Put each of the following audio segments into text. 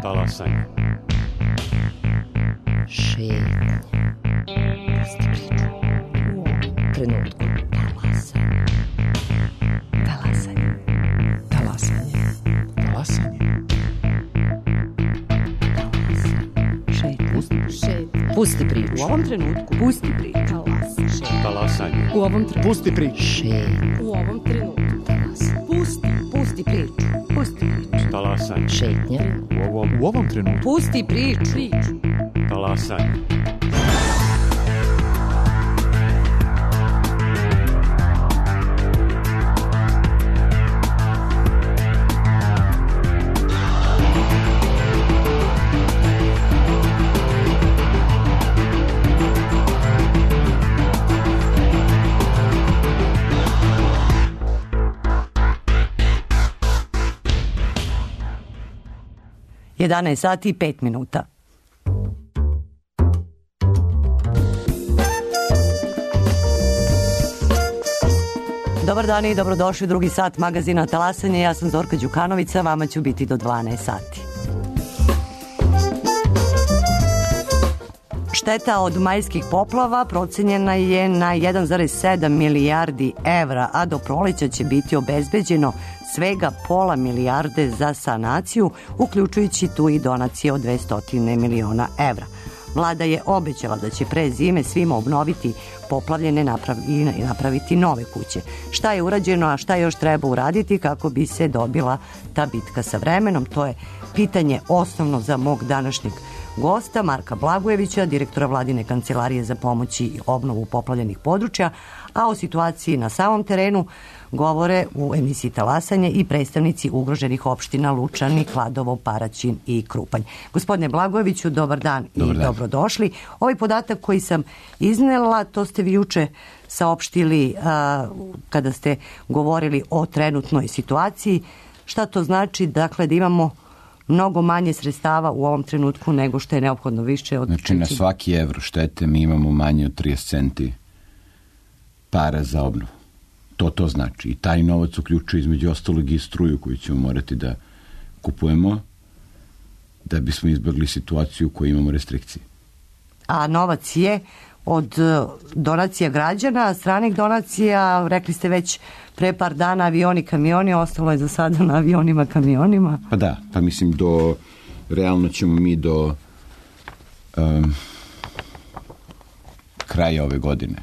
Talasanje. Šetnja. Pusti priču. U ovom trenutku. Talasanje. Talasanje. Talasanje. Talasanje. Šetnja. Pusti priču. U ovom trenutku. Pusti priču. Talasanje. U ovom trenutku. Pusti priču. Šetnja. U ovom trenutku. Pusti priču. Pusti priču. Talasanje. Šetnja. U ovom trenutku. Pusti priču. Talasanje. Jedanaest sati i 5 minuta. Dobar dan i dobrodošli u drugi sat magazina Talasanje. Ja sam Zorka Đukanovića, vama ću biti do 12 sati. Šteta od majskih poplava procenjena je na 1,7 milijardi evra, a do proleća će biti obezbeđeno svega pola milijarde za sanaciju, uključujući tu i donacije od 200 miliona evra. Vlada je obećala da će pre zime svima obnoviti poplavljene i napraviti nove kuće. Šta je urađeno, a šta još treba uraditi kako bi se dobila ta bitka sa vremenom? To je pitanje osnovno za mog današnjeg gosta, Marka Blagojevića, direktora Vladine kancelarije za pomoć i obnovu poplavljenih područja, a o situaciji na samom terenu govore u emisiji Talasanje i predstavnici ugroženih opština Lučani, Kladovo, Paraćin i Krupanj. Gospodine Blagojeviću, dobar dan i dobrodošli. Ovaj podatak koji sam iznela, to ste vi juče saopštili kada ste govorili o trenutnoj situaciji. Šta to znači? Dakle, da imamo mnogo manje sredstava u ovom trenutku nego što je neophodno više od... Znači, na svaki evro štete mi imamo manje od 30 centi para za obnovu. To znači. I taj novac uključuje između ostalog i struju koju ćemo morati da kupujemo da bismo izbjegli situaciju u kojoj imamo restrikcije. A novac je od donacija građana, stranih donacija, rekli ste već pre par dana avioni, kamioni, ostalo je za sada na avionima, kamionima. Pa da, pa mislim realno ćemo mi do kraja ove godine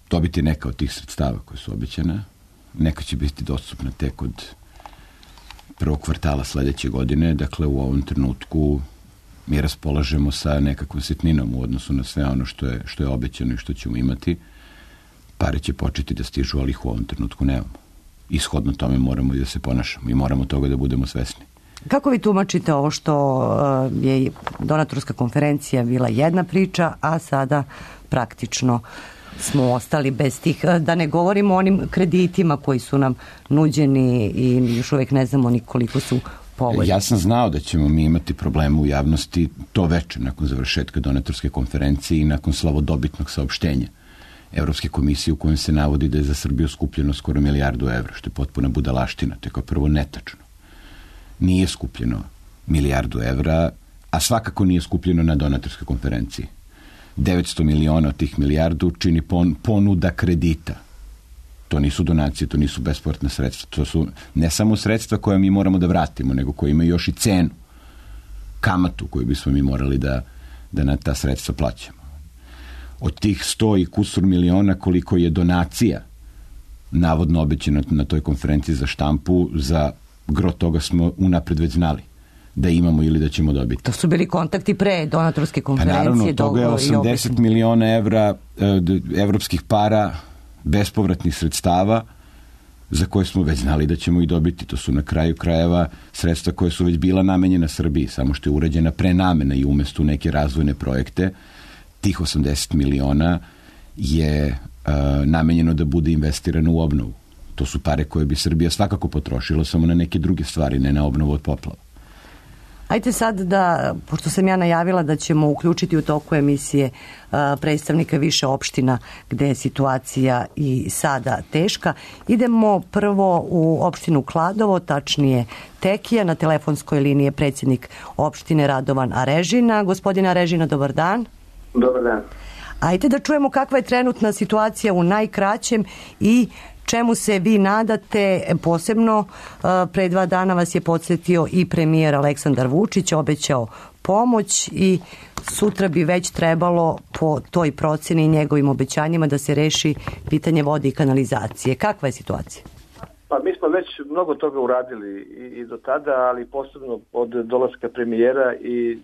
dobiti neka od tih sredstava koje su obećana. Neka će biti dostupna tek od prvog kvartala sledeće godine. Dakle, u ovom trenutku mi raspolažemo sa nekakvom sitninom u odnosu na sve ono što je obećano i što ćemo imati. Pare će početi da stižu, ali ih u ovom trenutku nemamo. Ishodno tome moramo i da se ponašamo i moramo toga da budemo svesni. Kako vi tumačite ovo što je donatorska konferencija bila jedna priča, a sada praktično smo ostali bez tih, da ne govorimo o onim kreditima koji su nam nuđeni i još uvijek ne znamo ni koliko su povoljni. Ja sam znao da ćemo mi imati probleme u javnosti to veče nakon završetka donatorske konferencije i nakon slavodobitnog saopštenja Evropske komisije u kojem se navodi da je za Srbiju skupljeno skoro 1 milijardu evra, što je potpuna budalaština. To je kao prvo netačno. Nije skupljeno 1 milijardu evra, a svakako nije skupljeno na donatorskoj konferenciji. 900 miliona od tih milijardu čini ponuda kredita. To nisu donacije, to nisu bespovratna sredstva. To su ne samo sredstva koje mi moramo da vratimo, nego koje imaju još i cenu, kamatu koju bismo mi morali da na ta sredstva plaćamo. Od tih 100 i kusur miliona koliko je donacija navodno obećano na toj konferenciji za štampu, za gro toga smo unapred već znali da imamo ili da ćemo dobiti. To su bili kontakti pre donatorske konferencije. Pa naravno, toga je 80 miliona evra evropskih para, bespovratnih sredstava za koje smo već znali da ćemo i dobiti. To su na kraju krajeva sredstva koje su već bila namenjena Srbiji, samo što je urađena prenamena i umesto neke razvojne projekte. Tih 80 miliona je namenjeno da bude investirano u obnovu. To su pare koje bi Srbija svakako potrošila samo na neke druge stvari, ne na obnovu od poplava. Ajde sad da, pošto sam ja najavila da ćemo uključiti u toku emisije predstavnika više opština gde je situacija i sada teška, idemo prvo u opštinu Kladovo, tačnije Tekija. Na telefonskoj liniji je predsjednik opštine Radovan Arežina. Gospodina Arežina, dobar dan. Dobar dan. Ajde da čujemo kakva je trenutna situacija u najkraćem i čemu se vi nadate. Posebno pre 2 dana vas je podsjetio i premijer Aleksandar Vučić, obećao pomoć i sutra bi već trebalo po toj proceni i njegovim obećanjima da se reši pitanje vode i kanalizacije. Kakva je situacija? Pa mi smo već mnogo toga uradili i do tada, ali posebno od dolaska premijera i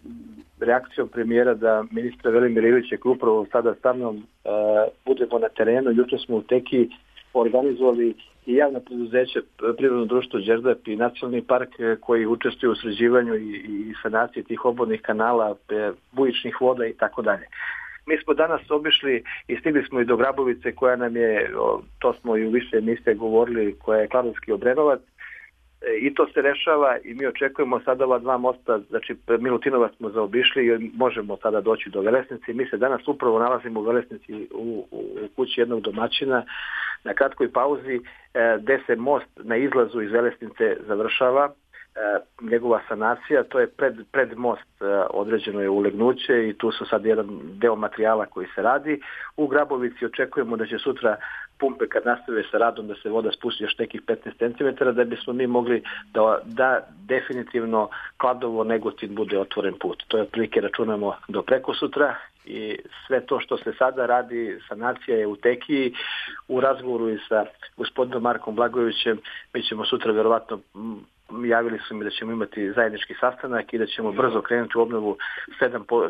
reakcijom premijera da ministra Velimira Ilića koji upravo sada sa mnom budemo na terenu. Jutro smo u Tekiji organizovali i javno preduzeće Prirodno društvo Đerdap i Nacionalni park koji učestvuju u sređivanju i sanaciji tih obolnih kanala, bujičnih voda i tako dalje. Mi smo danas obišli i stigli smo i do Grabovice koja nam je, to smo i u više emisije govorili, koja je Kladovski Obrenovac, i to se rešava i mi očekujemo sada ova 2 mosta, znači Milutinovac smo zaobišli i možemo sada doći do Velesnice. Mi se danas upravo nalazimo u Velesnici u kući jednog domaćina na kratkoj pauzi gde se most na izlazu iz Velesnice završava. Njegova sanacija, to je pred most, određeno je ulegnuće i tu su sad jedan deo materijala koji se radi. U Grabovici očekujemo da će sutra pumpe kad nastave sa radom da se voda spusti još nekih 15 cm da bismo mi mogli da definitivno Kladovo Negotin bude otvoren put. To je otprilike računamo do prekosutra i sve to što se sada radi, sanacija je u Tekiji, u razgovoru i sa gospodinom Markom Blagojevićem. Mi ćemo sutra verovatno, javili su mi da ćemo imati zajednički sastanak i da ćemo brzo krenuti u obnovu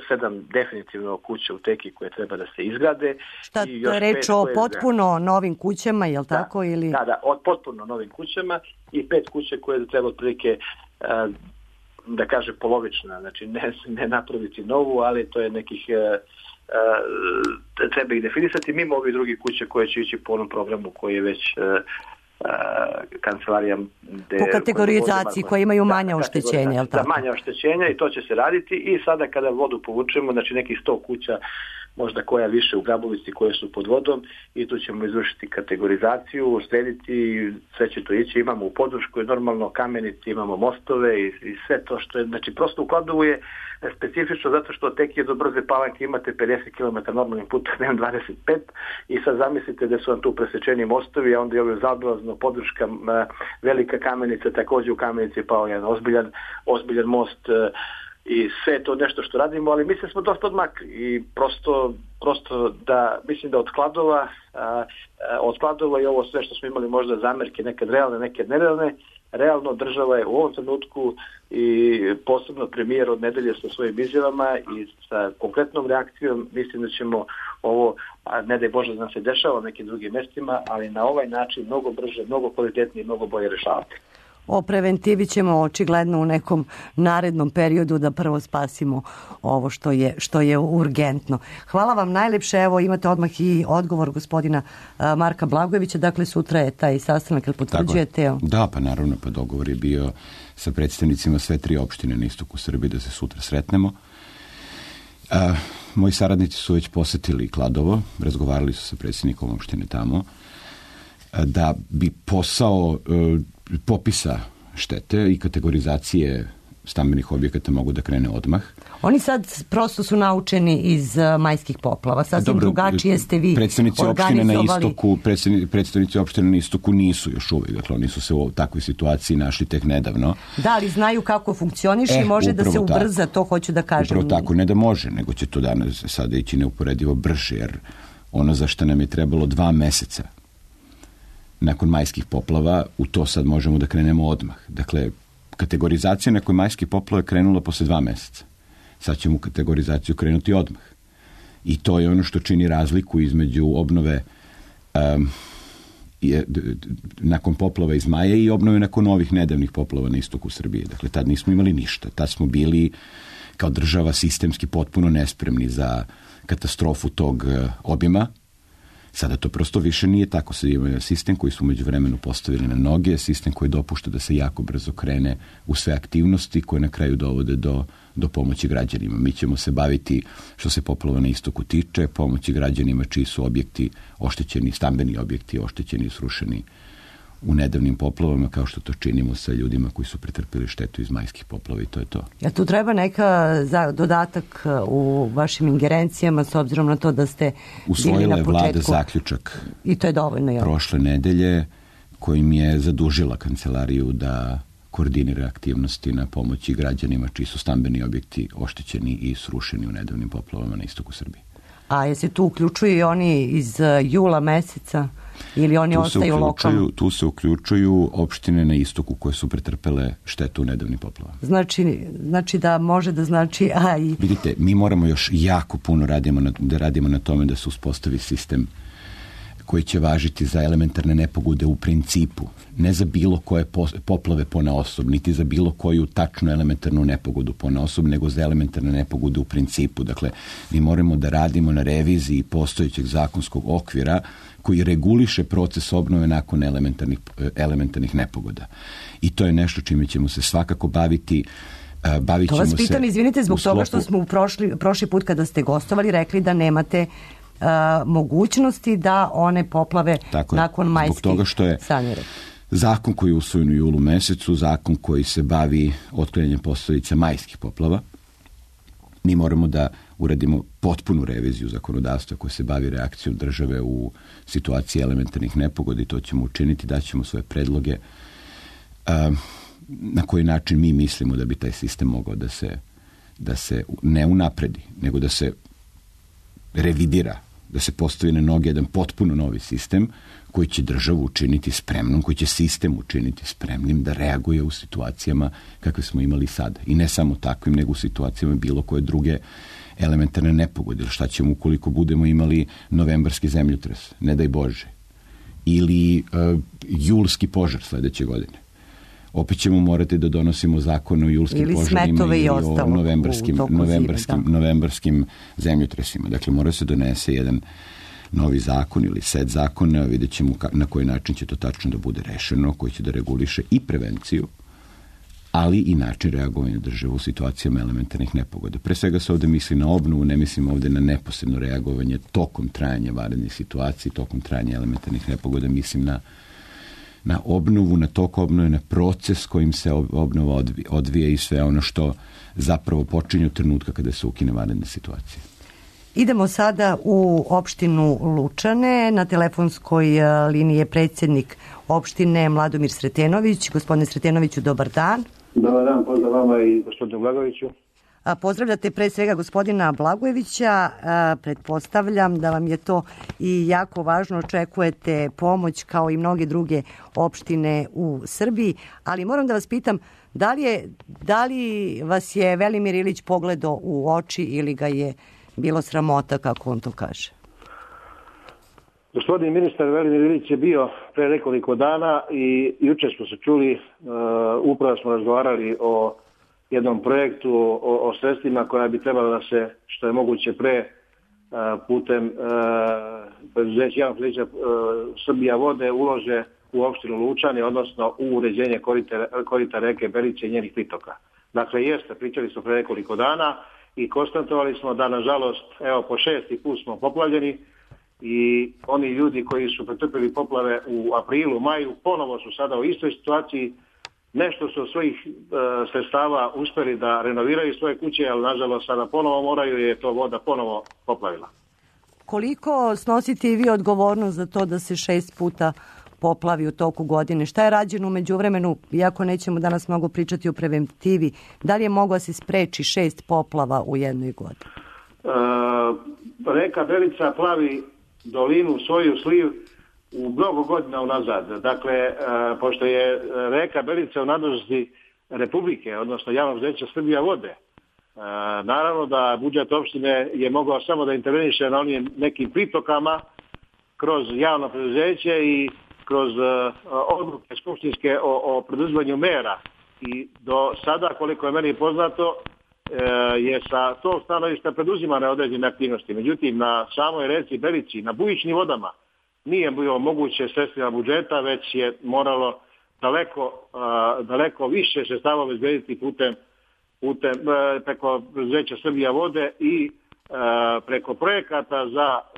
7 definitivno kuća u Tekiji koje treba da se izgrade. Šta, to je reč o potpuno novim kućama, je li tako? Ili? Da, od potpuno novim kućama i 5 kuće koje treba otprilike da kaže polovična, znači ne napraviti novu, ali to je nekih treba ih definisati mimo ovih drugih kuće koje će ići po onom programu koji je već kancelarija po kategorizaciji koje imaju manja oštećenja, je li tako? Manja oštećenja i to će se raditi i sada kada vodu povučemo, znači nekih 100 kuća, možda koja više u Grabovici koje su pod vodom i tu ćemo izvršiti kategorizaciju, srediti, sve će to ići, imamo u podršku normalno kameniti, imamo mostove i sve to što je, znači prosto u Kladovu je specifično zato što tek je do Brze Palanke imate 50 km normalnim putem, nemam 25 i sad zamislite da su vam tu presečeni mostovi, a onda je ovo zaobilazno podrška Velika Kamenica, također u Kamenici je pao jedan ozbiljan most i sve je to nešto što radimo, ali mislim smo dosta odmakli i prosto da mislim da od Kladova i ovo sve što smo imali možda zamerke, nekad realne, nekad nerealne, realno država je u ovom trenutku i posebno premijer od nedelje sa svojim izjavama i sa konkretnom reakcijom, mislim da ćemo ovo, ne daj Bože da nam se dešava u nekim drugim mestima, ali na ovaj način mnogo brže, mnogo kvalitetnije i mnogo bolje rešavati. O preventivi ćemo očigledno u nekom narednom periodu da prvo spasimo ovo što je urgentno. Hvala vam najlepše. Evo imate odmah i odgovor gospodina Marka Blagojevića. Dakle, sutra je taj sastanak, ili potvrđujete? Da, pa naravno, pa dogovor je bio sa predstavnicima sve 3 opštine na istoku Srbije da se sutra sretnemo. Moji saradnici su već posetili Kladovo, razgovarali su sa predsjednikom opštine tamo, da bi posao popisa štete i kategorizacije stambenih objekata mogu da krene odmah. Oni sad prosto su naučeni iz majskih poplava. Sasvim drugačije ste vi organizovali. Predstavnici opštine na istoku nisu još uvijek. Dakle, oni su se u takvoj situaciji našli tek nedavno. Da, ali znaju kako funkcioniše i može da se ubrza, to hoću da kažem. Upravo tako, ne da može, nego će to danas sada ići neuporedivo brže, jer ono za što nam je trebalo 2 meseca nakon majskih poplava, u to sad možemo da krenemo odmah. Dakle, kategorizacija nakon majskih poplava je krenula posle 2 meseca. Sad ćemo kategorizaciju krenuti odmah. I to je ono što čini razliku između obnove nakon poplava iz maja i obnove nakon ovih nedavnih poplava na istoku Srbije. Dakle, tad nismo imali ništa. Tad smo bili kao država sistemski potpuno nespremni za katastrofu tog obima. Sada to prosto više nije tako. Sada imamo sistem koji su među vremenu postavili na noge, sistem koji dopušta da se jako brzo krene u sve aktivnosti koje na kraju dovode do pomoći građanima. Mi ćemo se baviti, što se poplava na istoku tiče, pomoći građanima čiji su objekti oštećeni, stambeni objekti oštećeni i srušeni u nedavnim poplavama, kao što to činimo sa ljudima koji su pretrpili štetu iz majskih poplava, i to je to. Ja tu treba neka dodatak u vašim ingerencijama, s obzirom na to da ste usvojila je vlada zaključak i to je dovoljno, jel? Prošle nedelje, kojim je zadužila kancelariju da koordinira aktivnosti na pomoći građanima čiji su stambeni objekti oštećeni i srušeni u nedavnim poplavama na istoku Srbije. A je se tu uključuju i oni iz jula meseca ili oni ostaju lokalno? Tu se uključuju opštine na istoku koje su pretrpele štetu u nedavnim poplavama. Znači da može da znači... Vidite, mi moramo još jako puno radimo na tome da se uspostavi sistem koji će važiti za elementarne nepogode u principu, ne za bilo koje poplave ponaosob, niti za bilo koju tačnu elementarnu nepogodu ponaosob, nego za elementarne nepogode u principu. Dakle, mi moramo da radimo na reviziji postojećeg zakonskog okvira koji reguliše proces obnove nakon elementarnih nepogoda. I to je nešto čime ćemo se svakako baviti. To vas pitam, izvinite, zbog toga što smo prošli put kada ste gostovali rekli da nemate mogućnosti da one poplave nakon majskih zbog toga što je zakon koji je usvojen u julu mesecu, zakon koji se bavi otklanjanjem posljedica majskih poplava. Mi moramo da uradimo potpunu reviziju zakonodavstva koje se bavi reakcijom države u situaciji elementarnih nepogoda, i to ćemo učiniti, daćemo svoje predloge na koji način mi mislimo da bi taj sistem mogao da se ne unapredi, nego da se revidira, da se postavi na noge jedan potpuno novi sistem koji će državu učiniti spremnom, koji će sistem učiniti spremnim da reaguje u situacijama kakve smo imali sada. I ne samo takvim, nego u situacijama bilo koje druge elementarne nepogode. Šta ćemo ukoliko budemo imali novembarski zemljotres, ne daj Bože, ili julski požar sledeće godine. Opet ćemo morati da donosimo zakon o julskim požarima ili o novembarskim zemljotresima. Dakle, mora se donese jedan novi zakon ili set zakona, vidjet ćemo na koji način će to tačno da bude rešeno, koji će da reguliše i prevenciju, ali i način reagovanja države u situacijama elementarnih nepogoda. Pre svega se ovde misli na obnovu, ne mislim ovde na neposredno reagovanje tokom trajanja vanrednih situacija, tokom trajanja elementarnih nepogoda, mislim na obnovu, na tok obnove, na proces kojim se obnova odvija i sve ono što zapravo počinje od trenutka kada se ukine vanredna situacija. Idemo sada u opštinu Lučane. Na telefonskoj liniji je predsjednik opštine Mladomir Sretenović. Gospodine Sretenoviću, dobar dan. Dobar dan, pozdrav vama i gospodinu Blagojeviću. Pozdravljate pre svega gospodina Blagojevića. Pretpostavljam da vam je to i jako važno. Očekujete pomoć kao i mnoge druge opštine u Srbiji. Ali moram da vas pitam, da li vas je Velimir Ilić pogledao u oči ili ga je bilo sramota, kako on to kaže? Gospodin ministar Velimir Ilić je bio pre nekoliko dana i juče smo se čuli, upravo smo razgovarali o jednom projektu, o sredstvima koja bi trebala da se, što je moguće pre, putem javnog preduzeća Srbija vode ulože u opštinu Lučani, odnosno u uređenje korita reke Belice i njenih pritoka. Dakle, pričali smo pre nekoliko dana i konstatovali smo da, nažalost, evo po 6. put smo poplavljeni i oni ljudi koji su pretrpili poplave u aprilu, maju, ponovo su sada u istoj situaciji. Nešto su od svojih sredstava uspeli da renoviraju svoje kuće, ali nažalost sada ponovo moraju jer je to voda ponovo poplavila. Koliko snosite i vi odgovornost za to da se 6 puta poplavi u toku godine? Šta je rađeno u međuvremenu, iako nećemo danas mnogo pričati o preventivi, da li je moglo da se spreči 6 poplava u jednoj godini? Reka Belica plavi dolinu, svoju sliv u mnogo godina unazad. Dakle, pošto je reka Belica u nadležnosti Republike, odnosno javnog preduzeća Srbija vode, naravno da budžet opštine je mogao samo da interveniše na onim nekim pritokama kroz javno preduzeće i kroz odluke skupštinske o preduzmanju mera. I do sada, koliko je meni poznato, je sa tog stanovišta preduzimane određene aktivnosti. Međutim, na samoj reci Belici, na bujičnim vodama, nije bilo moguće sredstvima budžeta, već je moralo daleko više sredstava obezbediti putem preko preduzeća Srbija vode i preko projekata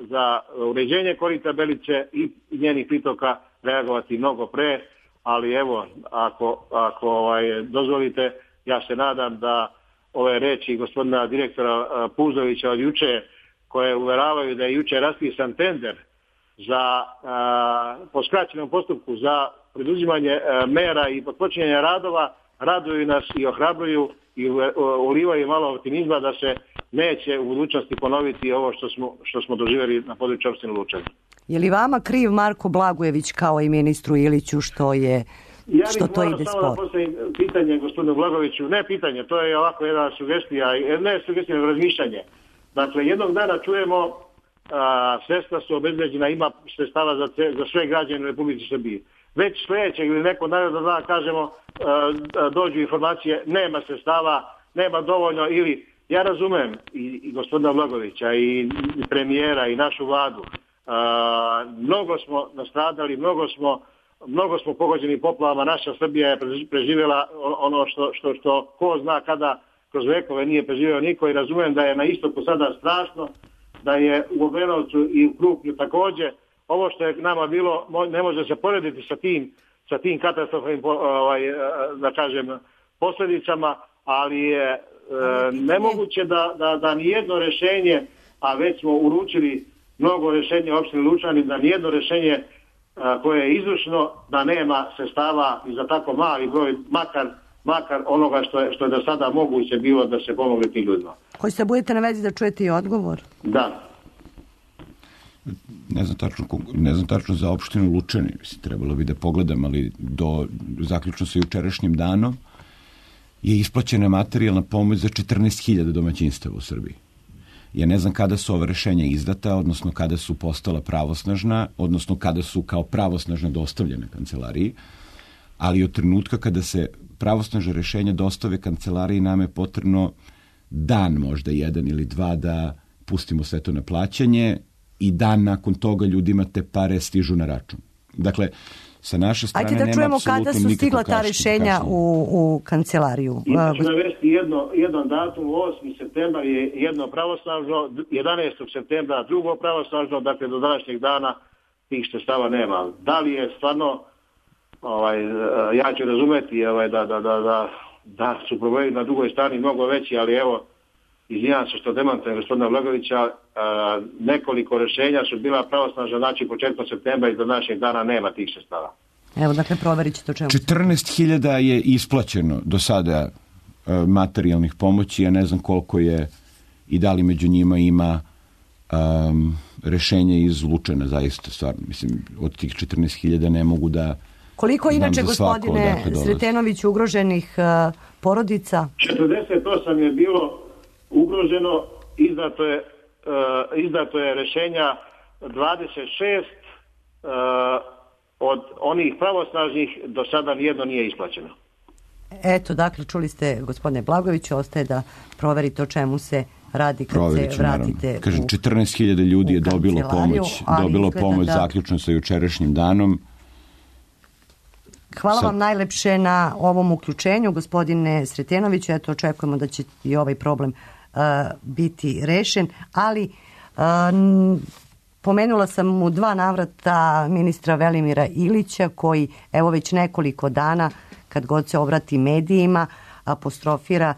za uređenje korita Belice i njenih pritoka reagovati mnogo pre, ali evo, ako dozvolite, ja se nadam da ove reči gospodina direktora Puzovića od juče, koje uveravaju da je juče raspisan tender po skraćenom postupku za preduzimanje mera i počinjenja radova, raduju nas i ohrabruju i ulivaju malo optimizma da se neće u budućnosti ponoviti ovo što smo doživjeli na području opštine Lučani. Je li vama kriv Marko Blagojević kao i ministru Iliću što to ide sporo? Ja bih samo da postavim pitanje gospodinu Blagojeviću. Ne pitanje, to je ovako jedna sugestija, ne sugestija, razmišljanje. Dakle, jednog dana čujemo sredstva su obezbeđena, ima sredstava za sve građane u Republici Srbiji. Već sljedećeg ili nekog narednog dana kažemo, dođu informacije, nema sredstava, nema dovoljno, ili ja razumem i gospodina Blagojevića i premijera i našu vladu. Mnogo smo nastradali, mnogo smo pogođeni poplavama, naša Srbija je preživjela ono što ko zna kada kroz vekove nije preživio niko, i razumem da je na istoku sada strašno, da je u Obrenovcu i u Krupnju također. Ovo što je nama bilo ne može se porediti sa tim katastrofalnim da kažem posljedicama, ali je nemoguće da nijedno rješenje, a već smo uručili mnogo rješenja opštini Lučani, da nijedno rješenje koje je izvršno, da nema sredstava i za tako mali broj, makar onoga što je do sada moguće bilo da se pomogne tim ljudima. Hoćete budete na vezi da čujete i odgovor? Da. Ne znam tačno za opštinu Lučani, trebalo bi da pogledam, ali zaključno sa jučerašnjim danom je isplaćena materijalna pomoć za 14.000 domaćinstava u Srbiji. Ja ne znam kada su ova rešenja izdata, odnosno kada su postala pravosnažna, odnosno kada su kao pravosnažna dostavljene kancelariji, ali od trenutka kada se pravosnažna rešenja dostave kancelariji nam je potrebno dan, možda jedan ili dva, da pustimo sve to na plaćanje i dan nakon toga ljudima te pare stižu na račun. Dakle, sa naše strane nema apsolutno nikakvog kašnjenja. Ajde da čujemo kada su stigla ta rešenja u kancelariju. Ja ću navesti jedan datum, 8. septembar je jedno pravosnažno, 11. septembra drugo pravosnažno, dakle do današnjeg dana tih sredstava nema. Da li je stvarno, ja ću razumeti da su problemi na drugoj strani mnogo veći, ali evo, izvinjam se što demantujem gospodina Blagojevića, nekoliko rješenja su bila pravosnažna, znači početkom septembra i do današnjeg dana nema tih sredstava. Evo, dakle, proverit ćete o čemu. 14.000 je isplaćeno do sada materijalnih pomoći, ja ne znam koliko je i da li među njima ima rešenje iz Lučana, zaista, stvarno. Mislim, od tih 14.000 ne mogu da... Koliko inače, gospodine Sretenović, ugroženih porodica? 48 je bilo ugroženo, izdato je rešenja 26, od onih pravosnažnih do sada nijedno nije isplaćeno. Eto, dakle, čuli ste, gospodine Blagojeviću, ostaje da proverite o čemu se radi kad se vratite naravno. Kažem, 14.000 ljudi je dobilo pomoć zaključno sa jučerašnjim danom. Hvala vam najlepše na ovom uključenju, gospodine Sretenoviću. Eto, očekujemo da će i ovaj problem biti rešen, ali pomenula sam u 2 navrata ministra Velimira Ilića, koji evo već nekoliko dana, kad god se obrati medijima, apostrofira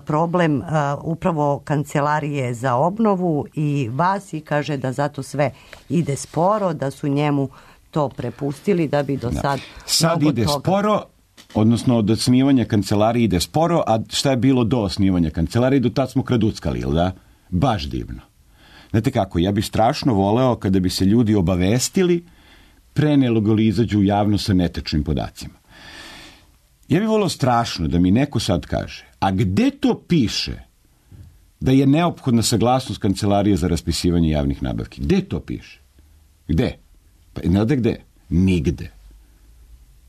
problem upravo Kancelarije za obnovu i vas, i kaže da zato sve ide sporo, da su njemu to prepustili, da bi do sad ide toga sporo, odnosno od osnivanja kancelarije ide sporo, a šta je bilo do osnivanja kancelarije? Do tad smo kraduckali, ili da? Baš divno. Znate kako, ja bih strašno voleo kada bi se ljudi obavestili pre nego li izađu u javnost sa netečnim podacima. Ja bih voleo strašno da mi neko sad kaže, a gde to piše da je neophodna saglasnost Kancelarije za raspisivanje javnih nabavki? Gde to piše? Gde? Pa znate gde? Nigde.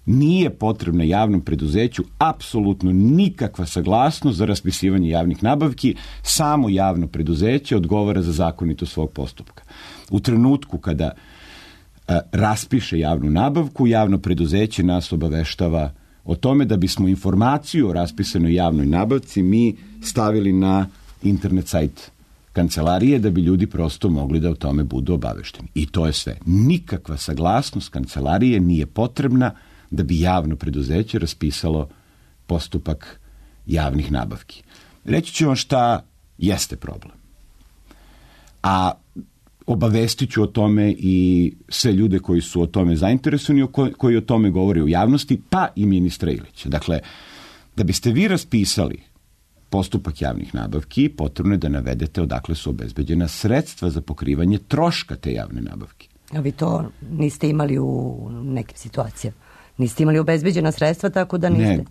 Nije potrebna javnom preduzeću apsolutno nikakva saglasnost za raspisivanje javnih nabavki, samo javno preduzeće odgovara za zakonitost svog postupka. U trenutku kada raspiše javnu nabavku, javno preduzeće nas obaveštava o tome da bismo informaciju o raspisanoj javnoj nabavci mi stavili na internet sajt kancelarije da bi ljudi prosto mogli da o tome budu obavešteni. I to je sve. Nikakva saglasnost kancelarije nije potrebna da bi javno preduzeće raspisalo postupak javnih nabavki. Reći ću vam šta jeste problem. A obavestit ću o tome i sve ljude koji su o tome zainteresovani, koji o tome govore u javnosti, pa i ministra Ilića. Dakle, da biste vi raspisali postupak javnih nabavki, potrebno je da navedete odakle su obezbeđena sredstva za pokrivanje troška te javne nabavke. A vi to niste imali u nekim situacijama? Niste imali obezbeđena sredstva, tako da niste? Ne,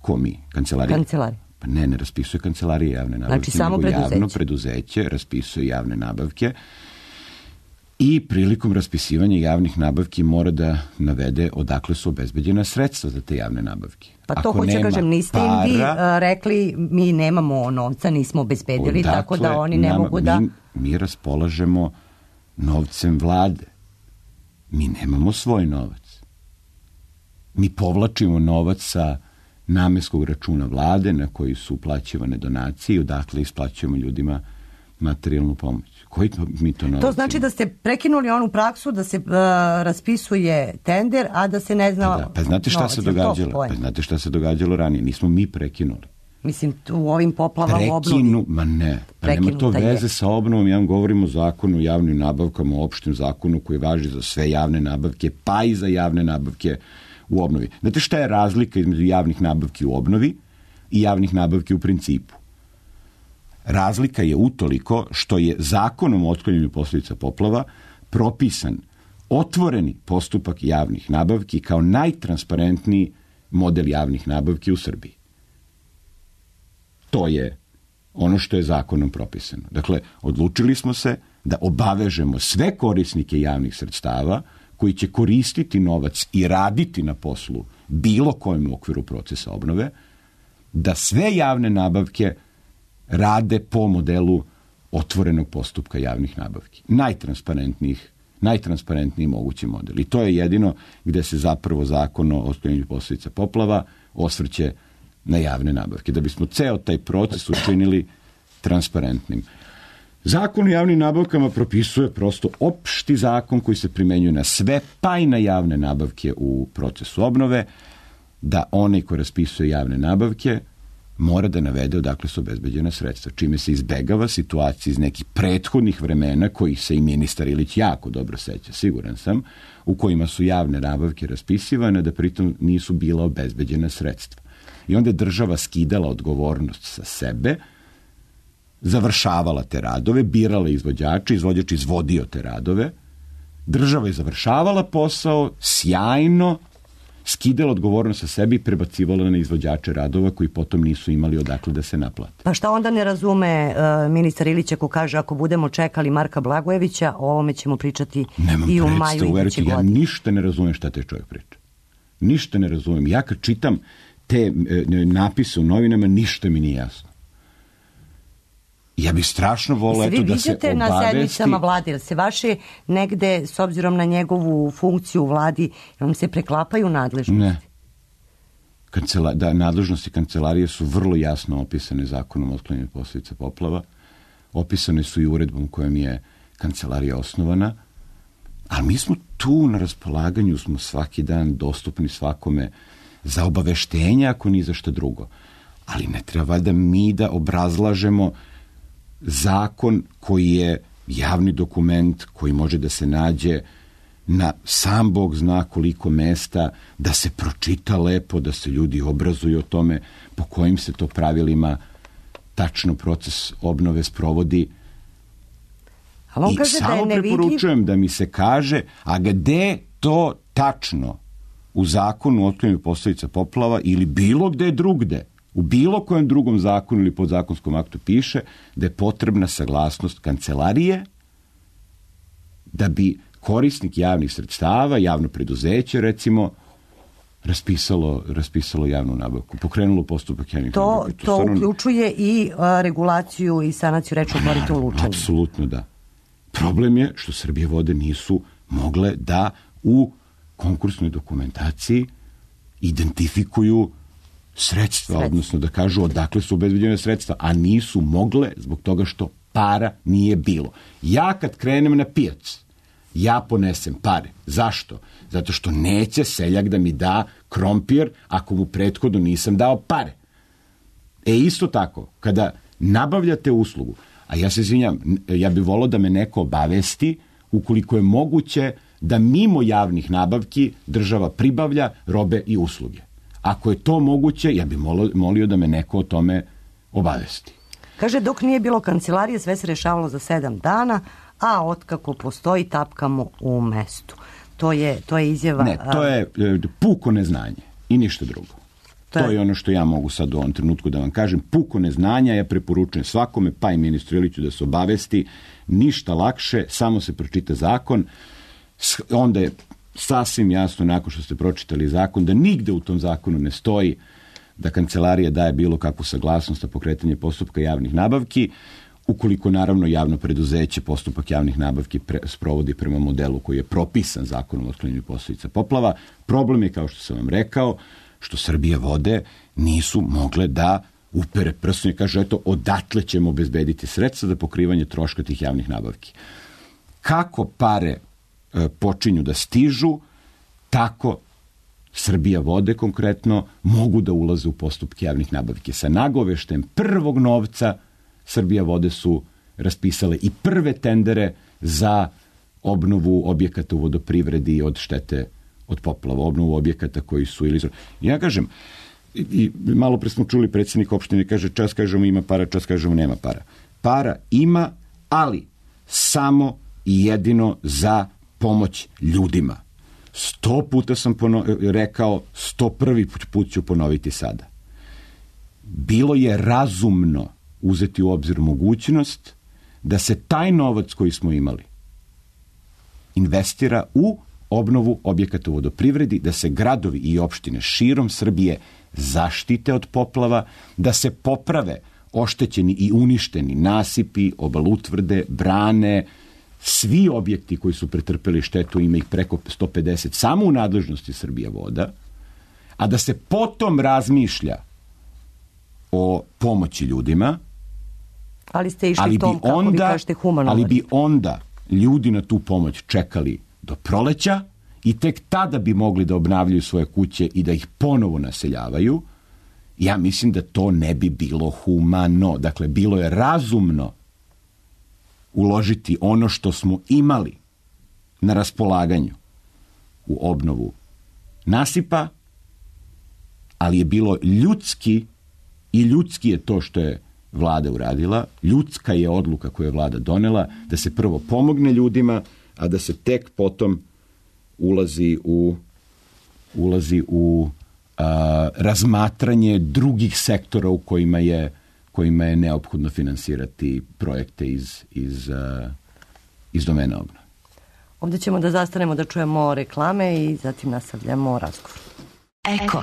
ko mi? Kancelarija? Kancelarija. Pa ne raspisuje kancelarija javne nabavke. Znači samo preduzeće? Javno preduzeće raspisuje javne nabavke i prilikom raspisivanja javnih nabavki mora da navede odakle su obezbeđena sredstva za te javne nabavke. Pa to hoće kažem, niste im vi rekli mi nemamo novca, nismo obezbedili, tako da oni ne mogu da... Mi raspolažemo novcem vlade. Mi nemamo svoj novac. Mi povlačimo novac sa namenskog računa vlade na koji su uplaćivane donacije i odakle isplaćujemo ljudima materijalnu pomoć. Koji mi to novac? To znači da ste prekinuli onu praksu da se raspisuje tender, a da se ne zna... Pa znate šta se događalo? Pa znate šta se događalo ranije? Nismo mi prekinuli. Mislim, u ovim poplavama u obnovi... Ma ne, pa nema to veze sa obnovom. Ja vam govorim o zakonu o javnim nabavkama, o opštem zakonu koji važi za sve javne nabavke, pa i za javne nabavke u obnovi. Znate šta je razlika između javnih nabavki u obnovi i javnih nabavki u principu? Razlika je utoliko što je zakonom o otklanjanju posljedica poplava propisan otvoreni postupak javnih nabavki kao najtransparentniji model javnih nabavki u Srbiji. To je ono što je zakonom propisano. Dakle, odlučili smo se da obavežemo sve korisnike javnih sredstava koji će koristiti novac i raditi na poslu bilo kojem u okviru procesa obnove, da sve javne nabavke rade po modelu otvorenog postupka javnih nabavki. Najtransparentniji mogući model. I to je jedino gde se zapravo zakon o otklanjanju posljedica poplava osvrće na javne nabavke. Da bismo ceo taj proces učinili transparentnim. Zakon o javnim nabavkama propisuje prosto opšti zakon koji se primenjuje na sve, pa i na javne nabavke u procesu obnove, da onaj ko raspisuje javne nabavke mora da navede odakle su obezbeđena sredstva, čime se izbegava situacija iz nekih prethodnih vremena kojih se i ministar Ilić jako dobro seća, siguran sam, u kojima su javne nabavke raspisivane, da pritom nisu bila obezbeđena sredstva. I onda je država skidala odgovornost sa sebe, završavala te radove, birala izvođače, izvođač izvodio te radove, država je završavala posao sjajno, skidala odgovornost sa sebi i prebacivala na izvođače radova koji potom nisu imali odakle da se naplate. Pa šta onda ne razume ministar Ilić ako kaže ako budemo čekali Marka Blagojevića, o ovome ćemo pričati i u maju iduće godine? Ja ništa ne razumem šta te čovjek priča. Ništa ne razumem. Ja kad čitam te napise u novinama, ništa mi nije jasno. Ja bih strašno volio da se obavesti... Vi viđate na sednicama vlade, ili se vaše negde, s obzirom na njegovu funkciju u vladi, vam se preklapaju nadležnosti? Ne. Nadležnosti kancelarije su vrlo jasno opisane zakonom o otklanjanju posljedica poplava. Opisane su i uredbom kojom je kancelarija osnovana. Ali mi smo tu na raspolaganju, smo svaki dan dostupni svakome za obaveštenja, ako ni za šta drugo. Ali ne treba valjda mi da obrazlažemo zakon koji je javni dokument, koji može da se nađe na sam Bog zna koliko mesta, da se pročita lepo, da se ljudi obrazuju o tome po kojim se to pravilima tačno proces obnove sprovodi. I samo preporučujem da mi se kaže, a gde to tačno u zakonu o otklanjanju posljedica poplava ili bilo gde drugde, u bilo kojem drugom zakonu ili podzakonskom aktu piše da je potrebna saglasnost kancelarije da bi korisnik javnih sredstava, javno preduzeće recimo, raspisalo javnu nabavku, pokrenulo postupak javnih nabavki. To uključuje i regulaciju i sanaciju rečnog korita u Lučanima. Apsolutno da. Problem je što Srbije vode nisu mogle da u konkursnoj dokumentaciji identifikuju sredstva, odnosno da kažu odakle su obezbeđene sredstva, a nisu mogle zbog toga što para nije bilo. Ja kad krenem na pijac, ja ponesem pare. Zašto? Zato što neće seljak da mi da krompir ako mu prethodno nisam dao pare. Isto tako, kada nabavljate uslugu, a ja se izvinjam, ja bih volao da me neko obavesti ukoliko je moguće da mimo javnih nabavki država pribavlja robe i usluge. Ako je to moguće, ja bih molio da me neko o tome obavesti. Kaže, dok nije bilo kancelarije, sve se rešavalo za 7 dana, a otkako postoji, tapkamo u mestu. To je izjava... Ne, to je puko neznanje i ništa drugo. To je ono što ja mogu sad u ovom trenutku da vam kažem. Puko neznanja, ja preporučujem svakome, pa i ministru Iliću da se obavesti. Ništa lakše, samo se pročita zakon. Onda je sasvim jasno, nakon što ste pročitali zakon, da nigde u tom zakonu ne stoji da kancelarija daje bilo kakvu saglasnost na pokretanje postupka javnih nabavki, ukoliko naravno javno preduzeće postupak javnih nabavki sprovodi prema modelu koji je propisan zakonom o otklanjanju posledica poplava. Problem je, kao što sam vam rekao, što Srbije vode nisu mogle da upere prstom i kaže, eto, odatle ćemo obezbediti sredstva za pokrivanje troška tih javnih nabavki. Kako pare počinju da stižu, tako Srbija vode konkretno mogu da ulaze u postupke javnih nabavki. Sa nagoveštem prvog novca Srbija vode su raspisale i prve tendere za obnovu objekata u vodoprivredi od štete od poplava, obnovu objekata koji su ili... Ja kažem, i malo pre smo čuli predsjednik opštine, kaže čas kažemo ima para, čas kažemo nema para. Para ima, ali samo i jedino za pomoć ljudima. 100 puta sam rekao, 101. put ću ponoviti sada. Bilo je razumno uzeti u obzir mogućnost da se taj novac koji smo imali investira u obnovu objekata u vodoprivredi, da se gradovi i opštine širom Srbije zaštite od poplava, da se poprave oštećeni i uništeni nasipi, obalutvrde, brane, svi objekti koji su pretrpeli štetu, ima ih preko 150, samo u nadležnosti Srbija voda, a da se potom razmišlja o pomoći ljudima, ali ste išli tom, kako vi kažete, humano. Ali bi onda ljudi na tu pomoć čekali do proleća i tek tada bi mogli da obnavljaju svoje kuće i da ih ponovo naseljavaju. Ja mislim da to ne bi bilo humano. Dakle, bilo je razumno uložiti ono što smo imali na raspolaganju u obnovu nasipa, ali je bilo ljudski, i ljudski je to što je vlada uradila, ljudska je odluka koju je vlada donela, da se prvo pomogne ljudima, a da se tek potom ulazi u razmatranje drugih sektora u kojima je neophodno finansirati projekte iz domena obnove. Ovdje ćemo da zastanemo da čujemo reklame i zatim nastavljamo razgovor. Eko.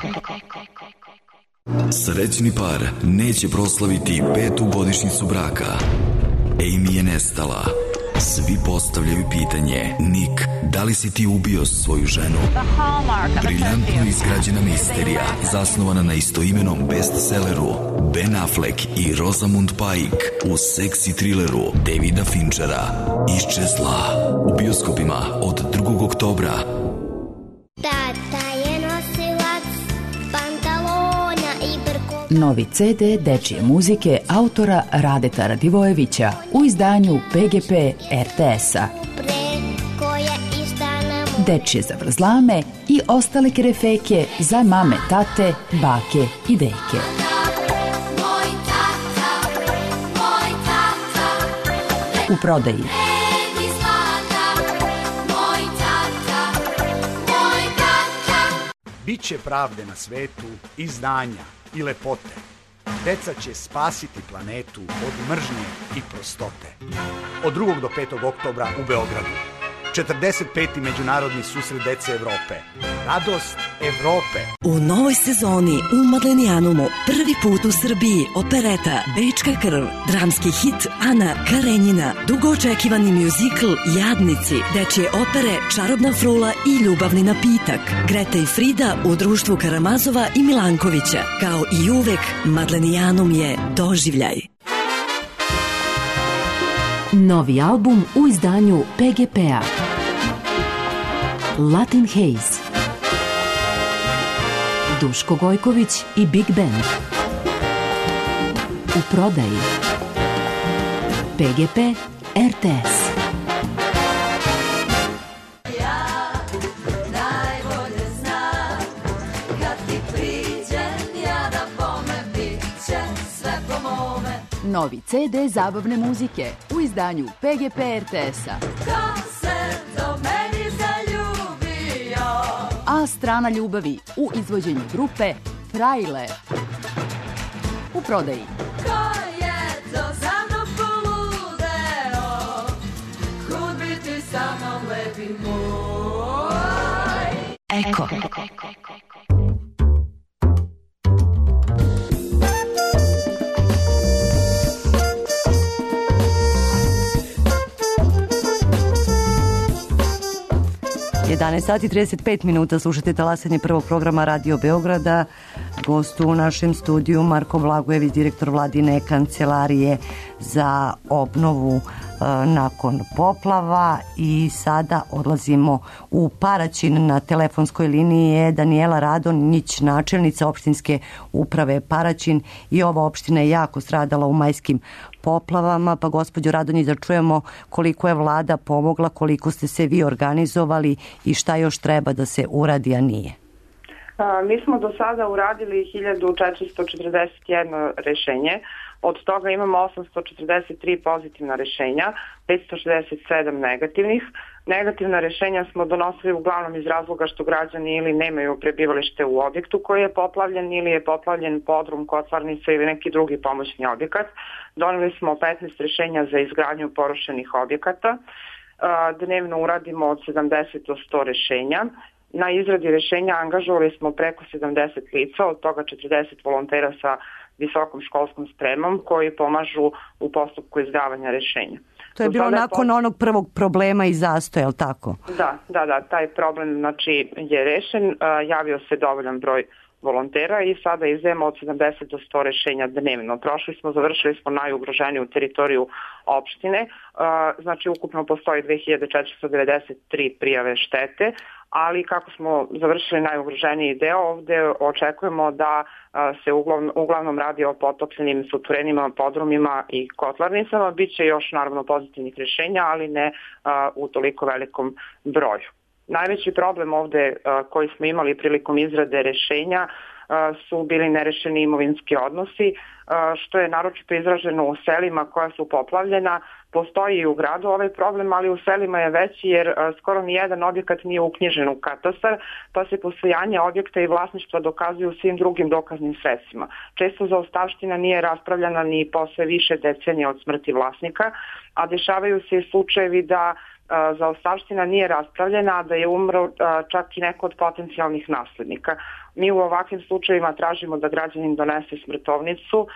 Srećni par neće proslaviti 5. godišnjicu braka. Amy je nestala. Svi postavljaju pitanje: Nick, da li si ti ubio svoju ženu? Briljantno izgrađena misterija, zasnovana na istoimenom bestselleru Ben Affleck i Rosamund Pike u seksi trileru Davida Finchera Iščezla, u bioskopima od 2. oktobra. Tata je nosilac pantalona i brko. Novi CD dečije muzike autora Radeta Radivojevića u izdanju PGP RTS-a. Dečije zavrzlame i ostale kerefeke za mame, tate, bake i deke. U prodaji. Biće pravde na svetu i znanja i lepote. Deca će spasiti planetu od mržnje i prostote. Od 2. do 5. oktobra u Beogradu. 45. međunarodni susret dece Evrope. Radost Evrope. U novoj sezoni u Madlenijanumu prvi put u Srbiji opereta Bečka krv, dramski hit Ana Karenjina, dugo očekivani mjuzikl Jadnici, dečje opere Čarobna frula i Ljubavni napitak, Greta i Frida u društvu Karamazova i Milankovića. Kao i uvek, Madlenijanum je doživljaj. Novi album u izdanju PGP-a. Latin Haze. Duško Gojković i Big Band. U prodaji. PGP RTS. Novi CD zabavne muzike u izdanju PGP RTS-a. A strana ljubavi u izvođenju grupe Frajle. U prodaji. Eko. 11 sati 35 minuta, slušate talasanje prvog programa Radio Beograda. Gost u našem studiju Marko Blagojević, direktor Vladine kancelarije za obnovu nakon poplava. I sada odlazimo u Paraćin. Na telefonskoj liniji je Danijela Radonjić, načelnica opštinske uprave Paraćin. I ova opština je jako stradala u majskim poplavama, pa gospođo Radonjić, da čujemo koliko je vlada pomogla, koliko ste se vi organizovali i šta još treba da se uradi, a nije. Mi smo do sada uradili 1441 rešenje, od toga imamo 843 pozitivna rešenja, 567 negativnih. Negativna rešenja smo donosili uglavnom iz razloga što građani ili nemaju prebivalište u objektu koji je poplavljen ili je poplavljen podrum, kotlarnica ili neki drugi pomoćni objekat. Doneli smo 15 rešenja za izgradnju porušenih objekata. Dnevno uradimo od 70 do 100 rešenja. Na izradi rešenja angažovali smo preko 70 lica, od toga 40 volontera sa visokom školskom spremom koji pomažu u postupku izdavanja rešenja. To je bilo nakon onog prvog problema i zastoja, je li tako? Da, taj problem je rešen, javio se dovoljan broj volontera i sada izdajemo od 70 do 100 rešenja dnevno. Završili smo najugroženiju teritoriju opštine, znači ukupno postoji 2493 prijave štete, ali kako smo završili najugroženiji deo, ovde očekujemo da se uglavnom radi o potopljenim suterenima, podrumima i kotlarnicama. Biće još naravno pozitivnih rešenja, ali ne u toliko velikom broju. Najveći problem ovde koji smo imali prilikom izrade rešenja su bili nerešeni imovinski odnosi, što je naročito izraženo u selima koja su poplavljena. Postoji i u gradu ovaj problem, ali u selima je veći jer skoro nijedan objekat nije uknjižen u katastar, pa se postojanje objekta i vlasništva dokazuju svim drugim dokaznim sredstvima. Često zaostavština nije raspravljena ni posle više decenija od smrti vlasnika, a dešavaju se i slučajevi da zaostavština nije raspravljena, a da je umro čak i neko od potencijalnih naslednika. Mi u ovakvim slučajevima tražimo da građanin donese smrtovnicu,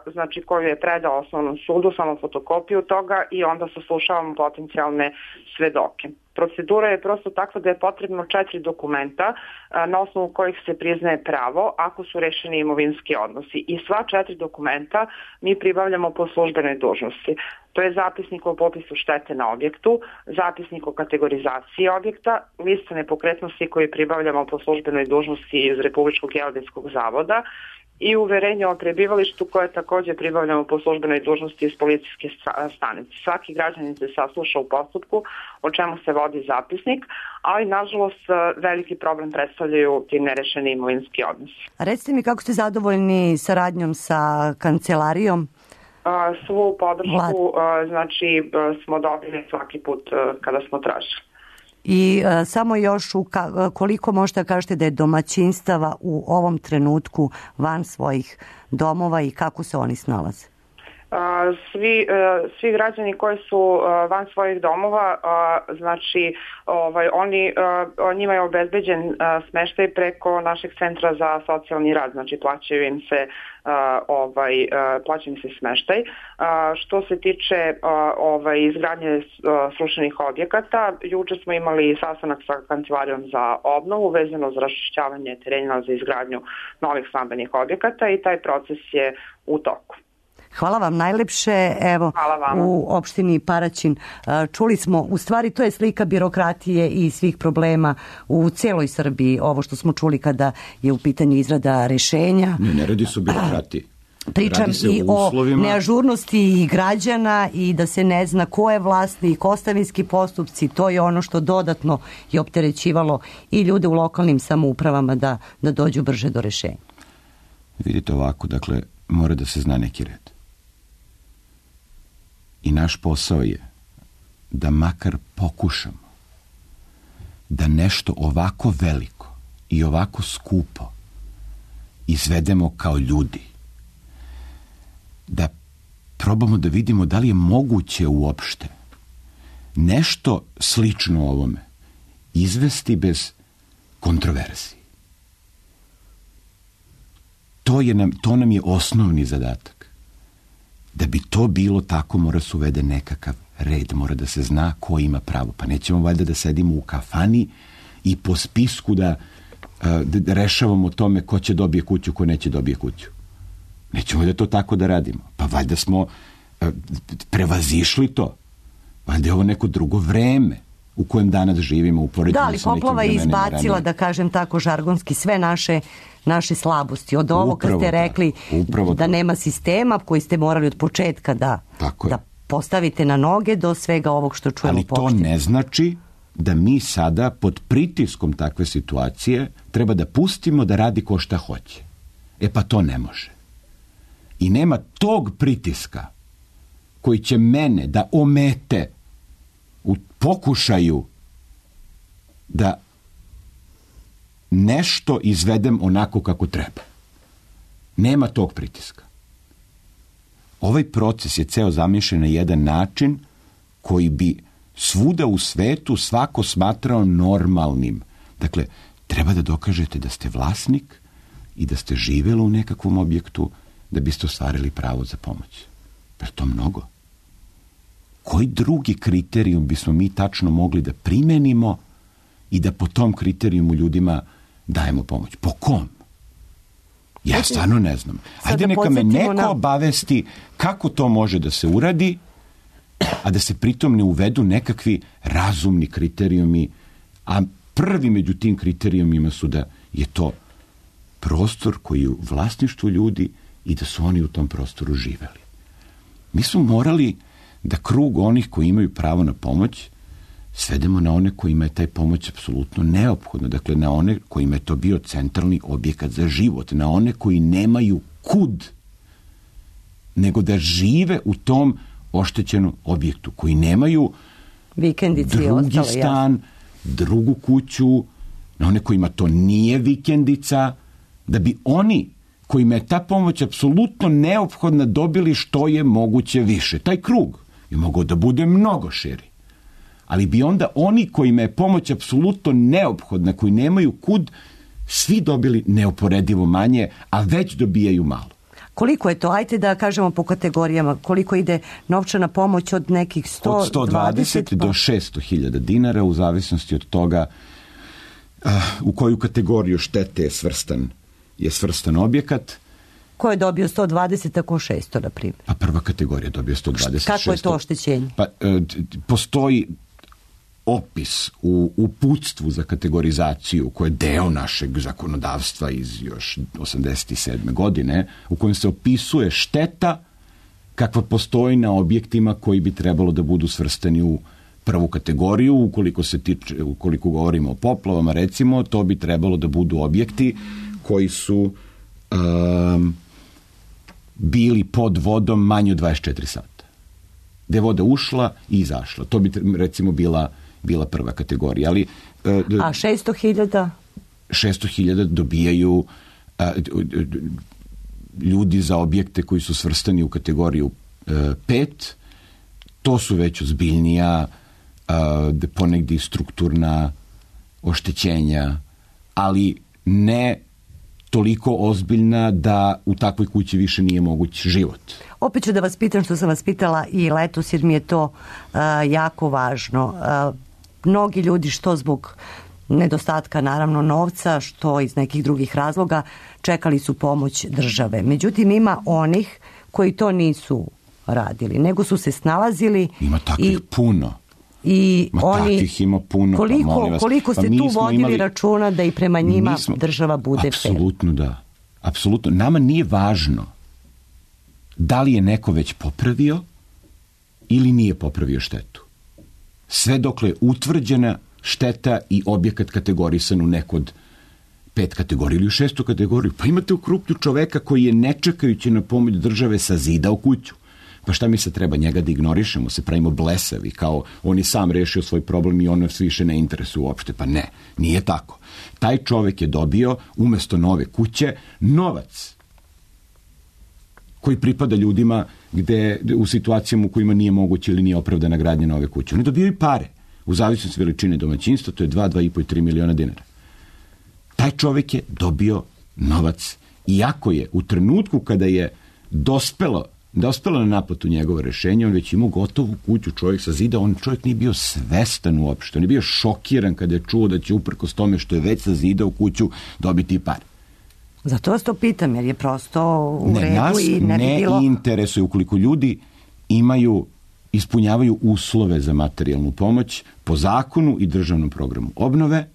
znači koju je predao osnovnom sudu, samo fotokopiju toga i onda saslušavamo potencijalne svedoke. Procedura je prosto takva da je potrebno 4 dokumenta na osnovu kojih se priznaje pravo ako su rešeni imovinski odnosi. I sva 4 dokumenta mi pribavljamo po službenoj dužnosti. To je zapisnik o popisu štete na objektu, zapisnik o kategorizaciji objekta, lista nepokretnosti koju pribavljamo po službenoj dužnosti iz Republičkog geodetskog zavoda i uverenje o prebivalištu koje takođe pribavljamo po službenoj dužnosti iz policijske stanice. Svaki građanin se sasluša u postupku o čemu se vodi zapisnik, ali nažalost veliki problem predstavljaju ti nerešeni imovinski odnosi. Recite mi kako ste zadovoljni saradnjom sa kancelarijom? Svu podršku smo dobili svaki put kada smo tražili. I samo još koliko možete kažete da je domaćinstava u ovom trenutku van svojih domova i kako se oni snalaze? Svi građani koji su van svojih domova, znači njima je obezbeđen smeštaj preko našeg centra za socijalni rad, znači plaćaju im se smeštaj. Što se tiče izgradnje srušenih objekata, juče smo imali sastanak sa Kancelarijom za obnovu vezano za raščišćavanje terena za izgradnju novih stambenih objekata i taj proces je u toku. Hvala vam najlepše. Evo, u opštini Paraćin čuli smo, u stvari to je slika birokratije i svih problema u celoj Srbiji, ovo što smo čuli kada je u pitanju izrada rešenja. Ne radi se o birokratiji. Pričam i o neažurnosti građana i da se ne zna ko je vlasnik, ostavinski postupci, to je ono što dodatno je opterećivalo i ljude u lokalnim samoupravama da dođu brže do rešenja. Vidite ovako, dakle, mora da se zna neki red. I naš posao je da makar pokušamo da nešto ovako veliko i ovako skupo izvedemo kao ljudi. Da probamo da vidimo da li je moguće uopšte nešto slično ovome izvesti bez kontroverzije. To nam je osnovni zadatak. Da bi to bilo tako, mora se uvede nekakav red, mora da se zna ko ima pravo. Pa nećemo valjda da sedimo u kafani i po spisku da rešavamo tome ko će dobije kuću, ko neće dobije kuću. Nećemo valjda to tako da radimo. Pa valjda smo prevazišli to. Valjda je ovo neko drugo vreme u kojem danas živimo. Da, ali poplava je izbacila, da kažem tako žargonski, sve naše slabosti. Od ovo kad ste rekli da nema sistema koji ste morali od početka da postavite na noge do svega ovog što čujemo. Ali to ne znači da mi sada pod pritiskom takve situacije treba da pustimo da radi ko šta hoće. Pa to ne može. I nema tog pritiska koji će mene da omete u pokušaju da nešto izvedem onako kako treba. Nema tog pritiska. Ovaj proces je ceo zamišljen na jedan način koji bi svuda u svetu svako smatrao normalnim. Dakle, treba da dokažete da ste vlasnik i da ste živjeli u nekakvom objektu da biste ostvarili pravo za pomoć. Je to mnogo? Koji drugi kriterijum bismo mi tačno mogli da primenimo i da po tom kriterijumu ljudima dajemo pomoć? Po kom? Ja stvarno ne znam. Ajde neka me neko obavesti kako to može da se uradi, a da se pritom ne uvedu nekakvi razumni kriterijumi, a prvi među tim kriterijumima su da je to prostor koji je u vlasništvu ljudi i da su oni u tom prostoru živeli. Mi smo morali da krug onih koji imaju pravo na pomoć svedemo na one kojima je taj pomoć apsolutno neophodna. Dakle, na one kojima je to bio centralni objekat za život. Na one koji nemaju kud nego da žive u tom oštećenom objektu. Koji nemaju drugi stan, drugu kuću. Na one kojima to nije vikendica. Da bi oni kojima je ta pomoć apsolutno neophodna dobili što je moguće više. Taj krug je mogao da bude mnogo širi. Ali bi onda oni kojima je pomoć apsolutno neophodna, koji nemaju kud, svi dobili neuporedivo manje, a već dobijaju malo. Koliko je to? Ajde da kažemo po kategorijama. Koliko ide novčana pomoć od nekih 120? Od 120 do 600.000 dinara, u zavisnosti od toga u koju kategoriju štete je svrstan objekat. Ko je dobio 120, a ko 600, na primjer? Pa prva kategorija dobio 120. Kako je to oštećenje? Pa, postoji opis u uputstvu za kategorizaciju, koje je deo našeg zakonodavstva iz još 87. godine, u kojem se opisuje šteta kakva postoji na objektima koji bi trebalo da budu svrstani u prvu kategoriju. Ukoliko govorimo o poplavama, recimo, to bi trebalo da budu objekti koji su bili pod vodom manje od 24 sata. Gde je voda ušla i izašla. To bi recimo bila prva kategorija. Ali, a 600.000? 600.000 dobijaju ljudi za objekte koji su svrstani u kategoriju 5, to su već ozbiljnija, ponegdje strukturna oštećenja, ali ne toliko ozbiljna da u takvoj kući više nije moguć život. Opet ću da vas pitam što sam vas pitala i letos, jer mi je to jako važno. Mnogi ljudi, što zbog nedostatka naravno novca, što iz nekih drugih razloga, čekali su pomoć države. Međutim, ima onih koji to nisu radili, nego su se snalazili. Ima takvih puno. I oni, takvih ima puno. Koliko ste tu vodili računa da i prema njima država bude fair? Apsolutno da. Apsolutno. Nama nije važno da li je neko već popravio ili nije popravio štetu. Sve dokle je utvrđena šteta i objekat kategorisan u neku od 5 kategorija ili u 6. kategoriju. Pa imate u krupnju čoveka koji je ne čekajući na pomoć države sazidao kuću. Pa šta mi se treba, njega da ignorišemo, se pravimo blesavi, kao on je sam rešio svoj problem i on nas više ne interesuje uopšte. Pa ne, nije tako. Taj čovek je dobio, umesto nove kuće, novac koji pripada ljudima u situacijama u kojima nije moguće ili nije opravdana gradnja nove kuće. Oni dobijaju pare, u zavisnosti veličine domaćinstva, to je 2, 2,5 i 3 miliona dinara. Taj čovek je dobio novac, iako je u trenutku kada je dospelo na naplatu njegovo rešenje, on već imao gotovu kuću, čovjek sazidao, on čovjek nije bio svestan uopšte, on je bio šokiran kada je čuo da će uprkos tome što je već sazidao kuću dobiti pare. Zato vas to pitam, jer je prosto u redu i ne bi bilo... Ne interesuje, ukoliko ljudi ispunjavaju uslove za materijalnu pomoć po zakonu i državnom programu obnove,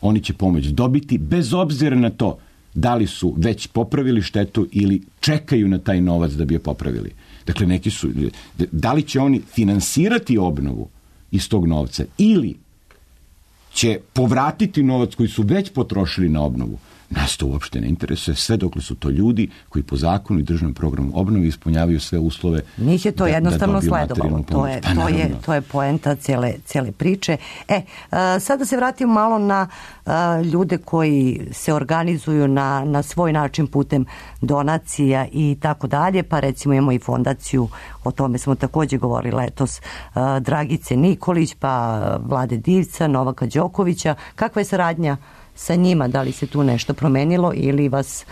oni će pomoć dobiti bez obzira na to da li su već popravili štetu ili čekaju na taj novac da bi je popravili. Dakle, da li će oni finansirati obnovu iz tog novca ili će povratiti novac koji su već potrošili na obnovu, nas to uopšte ne interesuje, sve dokle su to ljudi koji po zakonu i državnom programu obnove ispunjavaju sve uslove. Njih je to jednostavno sledovalo. To je poenta cele priče. Sada se vratimo malo na ljude koji se organizuju na svoj način putem donacija i tako dalje, pa recimo imamo i fondaciju, o tome smo također govorili letos, Dragice Nikolić, pa Vlade Divca, Novaka Đokovića. Kakva je saradnja sa njima? Da li se tu nešto promenilo ili vas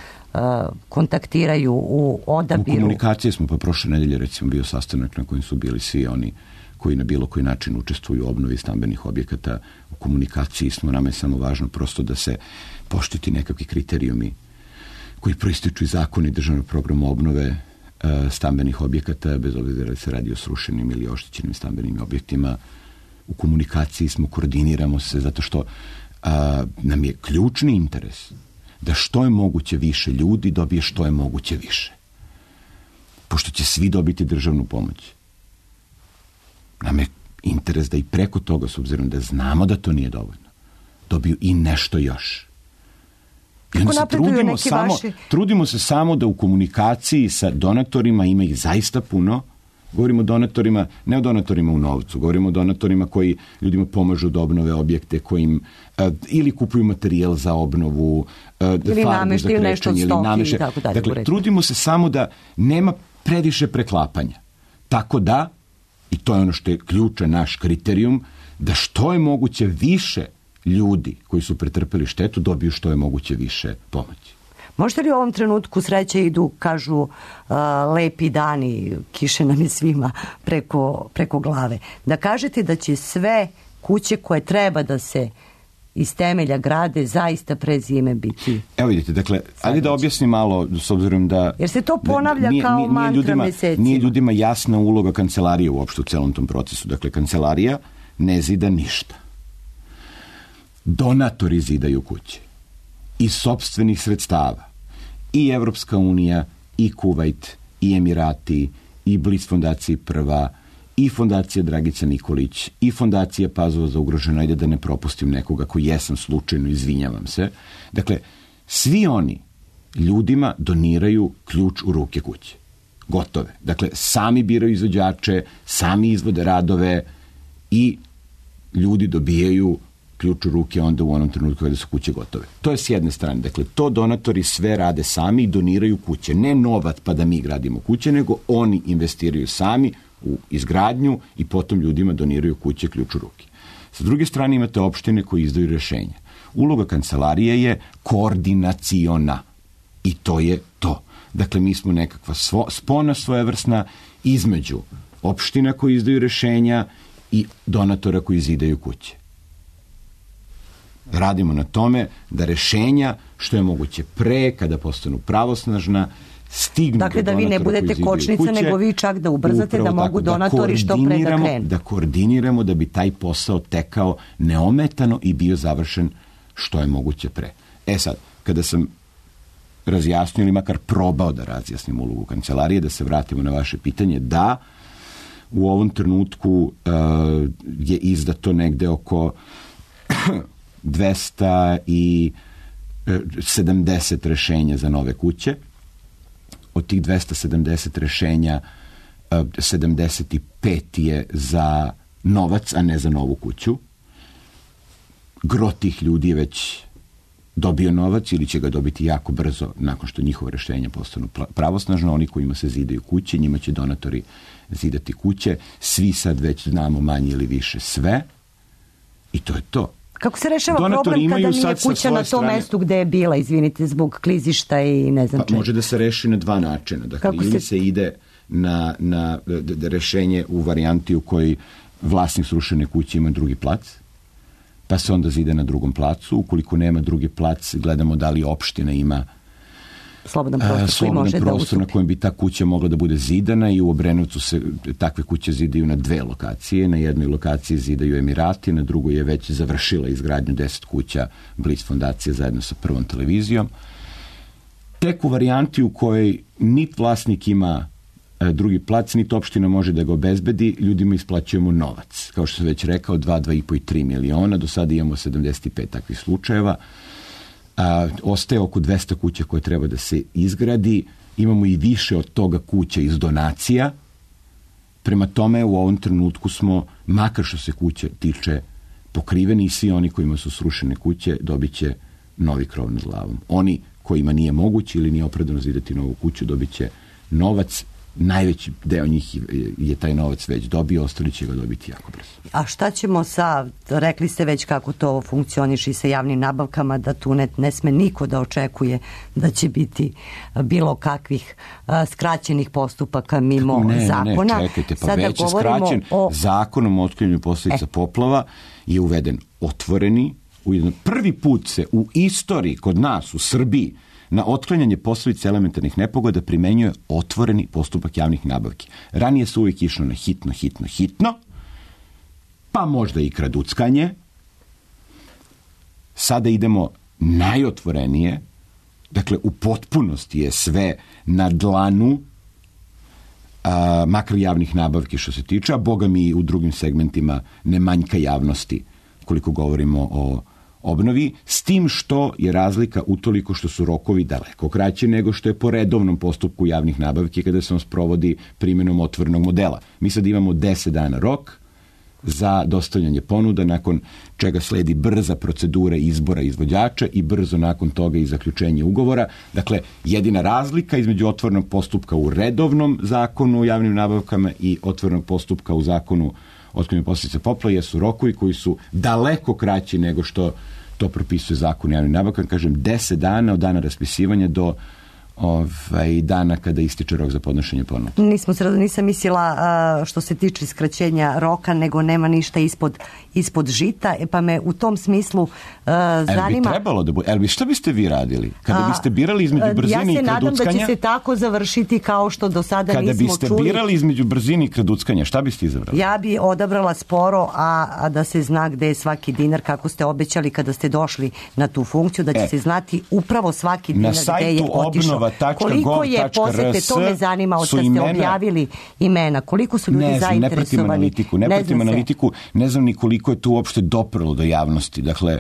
kontaktiraju u odabiru? U komunikaciji smo, pa prošle nedelje recimo bio sastanak na kojem su bili svi oni koji na bilo koji način učestvuju u obnovi stambenih objekata. U komunikaciji smo, nama je samo važno prosto da se poštiti nekakvi kriterijumi koji proističu iz zakona i državnog programa obnove stambenih objekata, bez obzira da se radi o srušenim ili oštećenim stambenim objektima. U komunikaciji smo, koordiniramo se, zato što nam je ključni interes da što je moguće više ljudi dobije što je moguće više. Pošto će svi dobiti državnu pomoć, nam je interes da i preko toga, s obzirom da znamo da to nije dovoljno, dobiju i nešto još. I onda se trudimo se samo da u komunikaciji sa donatorima, ima ih zaista puno. Govorimo o donatorima, ne o donatorima u novcu, govorimo o donatorima koji ljudima pomažu da obnove objekte, kojim ili kupuju materijal za obnovu, ili namešte, ili nešto od stoki i tako dalje. Dakle, trudimo se samo da nema previše preklapanja. Tako da, i to je ono što je ključan naš kriterijum, da što je moguće više ljudi koji su pretrpeli štetu dobiju što je moguće više pomoći. Možete li u ovom trenutku, sreće idu, kažu, lepi dani, kiše nam je svima preko glave, da kažete da će sve kuće koje treba da se iz temelja grade zaista pre zime biti? Evo vidite, dakle, ajde da objasnim malo, s obzirom da... Jer se to ponavlja kao mantra mesecima. Nije ljudima jasna uloga kancelarije uopšte u celom tom procesu. Dakle, kancelarija ne zida ništa. Donatori zidaju kuće iz sopstvenih sredstava. I Evropska unija, i Kuvajt, i Emirati, i Blic fondacija Prva, i fondacija Dragica Nikolić, i fondacija Pazova za ugroženo, ajde da ne propustim nekoga koji jesam slučajno, izvinjavam se. Dakle, svi oni ljudima doniraju ključ u ruke kuće. Gotove. Dakle, sami biraju izvođače, sami izvode radove i ljudi dobijaju ključ u ruke onda u onom trenutku kada su kuće gotove. To je s jedne strane. Dakle, to donatori sve rade sami i doniraju kuće. Ne novac pa da mi gradimo kuće, nego oni investiraju sami u izgradnju i potom ljudima doniraju kuće ključ u ruke. Sa druge strane imate opštine koje izdaju rješenja. Uloga kancelarije je koordinaciona i to je to. Dakle, mi smo nekakva spona svojevrsna između opština koji izdaju rješenja i donatora koji zidaju kuće. Radimo na tome da rješenja što je moguće pre, kada postanu pravosnažna, stignu dakle, do da vi ne budete kočnica, nego vi čak da ubrzate da mogu donatori što pre da krenu. Da koordiniramo da bi taj posao tekao neometano i bio završen što je moguće pre. Sad, kada sam razjasnio ili makar probao da razjasnim ulogu kancelarije, da se vratimo na vaše pitanje, da u ovom trenutku je izdato negde oko 270 rešenja za nove kuće. Od tih 270 rešenja 75 je za novac, a ne za novu kuću. Gro tih ljudi je već dobio novac ili će ga dobiti jako brzo nakon što njihova rešenja postanu pravosnažno. Oni kojima se zidaju kuće, njima će donatori zidati kuće. Svi sad već znamo manje ili više sve i to je to. Kako se rešava problem kada nije kuća na tom mestu gde je bila, izvinite, zbog klizišta i ne znam čega? Može da se reši na dva načina. Dakle, ili se ide na rešenje u varijanti u kojoj vlasnik srušene kuće ima drugi plac, pa se onda zide na drugom placu. Ukoliko nema drugi plac, gledamo da li opština ima slobodan prostor na kojem bi ta kuća mogla da bude zidana i u Obrenovcu se takve kuće zidaju na dve lokacije. Na jednoj lokaciji zidaju Emirati, na drugoj je već završila izgradnju 10 kuća Blic fondacije zajedno sa Prvom televizijom. Tek u varijanti u kojoj nit vlasnik ima drugi plac, niti opština može da ga obezbedi, ljudima isplaćujemo novac. Kao što sam već rekao, 2,5 i 3 miliona, do sada imamo 75 takvih slučajeva. Ostaje oko 200 kuća koje treba da se izgradi. Imamo i više od toga kuća iz donacija. Prema tome, u ovom trenutku smo, makar što se kuće tiče, pokriveni i svi oni kojima su srušene kuće dobit će novi krov nad glavom. Oni kojima nije moguće ili nije opravdano zidati novu kuću dobit će novac. Najveći deo njih je taj novac već dobio, ostali će ga dobiti jako brzo. A šta ćemo rekli ste već kako to funkcioniše i sa javnim nabavkama, da tu ne sme niko da očekuje da će biti bilo kakvih skraćenih postupaka mimo zakona. Ne, čekajte, pa već je skraćen. Zakonom o otklanjanju posljedica poplava je uveden otvoreni, prvi put se u istoriji kod nas u Srbiji na otklanjanje posljedica elementarnih nepogoda primenjuje otvoreni postupak javnih nabavki. Ranije se uvijek išlo na hitno, pa možda i kraduckanje. Sada idemo najotvorenije, dakle u potpunosti je sve na dlanu, makar javnih nabavki što se tiče, a boga mi u drugim segmentima ne manjka javnosti koliko govorimo o obnovi, s tim što je razlika utoliko što su rokovi daleko kraći nego što je po redovnom postupku javnih nabavki kada se on sprovodi primjenom otvorenog modela. Mi sad imamo 10 dana rok za dostavljanje ponuda, nakon čega sledi brza procedura izbora izvođača i brzo nakon toga i zaključenje ugovora. Dakle, jedina razlika između otvorenog postupka u redovnom zakonu o javnim nabavkama i otvorenog postupka u zakonu otklanjanju posljedica poplava jesu rokovi koji su daleko kraći nego što to propisuje zakon o javnim nabavkama. Kažem, 10 dana od dana raspisivanja do dana kada ističe rok za podnošenje ponuda. Nisam mislila što se tiče skraćenja roka, nego nema ništa ispod žita, pa me u tom smislu zanima... bi trebalo da bude? Šta biste vi radili? Kada biste birali između brzine i kraduckanja... Ja se nadam da će se tako završiti kao što do sada nismo čuli. Kada biste birali između brzine i kraduckanja, šta biste izabrali? Ja bi odabrala sporo, a da se zna gde je svaki dinar, kako ste obećali kada ste došli na tu funkciju, da će se znati upravo svaki dinar gde je otišao. Koliko je posete, to me zanima, od kad ste objavili imena, koliko su ljudi zainteresovani. Ne pratim analitiku, ne znam ni koliko je to uopšte doprlo do javnosti, dakle,